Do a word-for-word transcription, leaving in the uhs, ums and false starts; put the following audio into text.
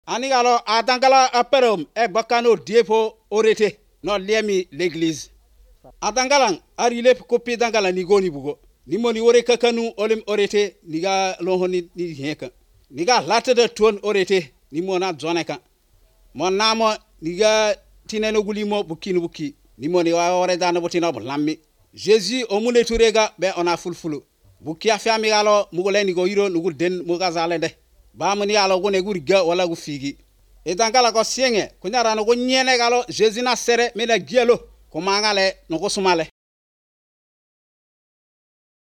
Anigalo atangala aperom e bakano diepo orete no liemi l'église. Atangalang arile kopi tangala nigoni bugo. Nimoni ore kakanu olim orete niga lohoni ni heka. Niga latte de tuon orete nimona zoneka. Mon namo niga tineno gulimo bukinu buki. Nimoni wa ore dana botina lammi. Jésus omune turega be ona fulfulu. Buki afami galo mugole nigo hiro nugul den mugazale de. Ba mani alo gone guriga wala gu figi. E tangala ko sienge kunyara no go nyene galo Jésus na sere mena gielo ko mangale no go sumale.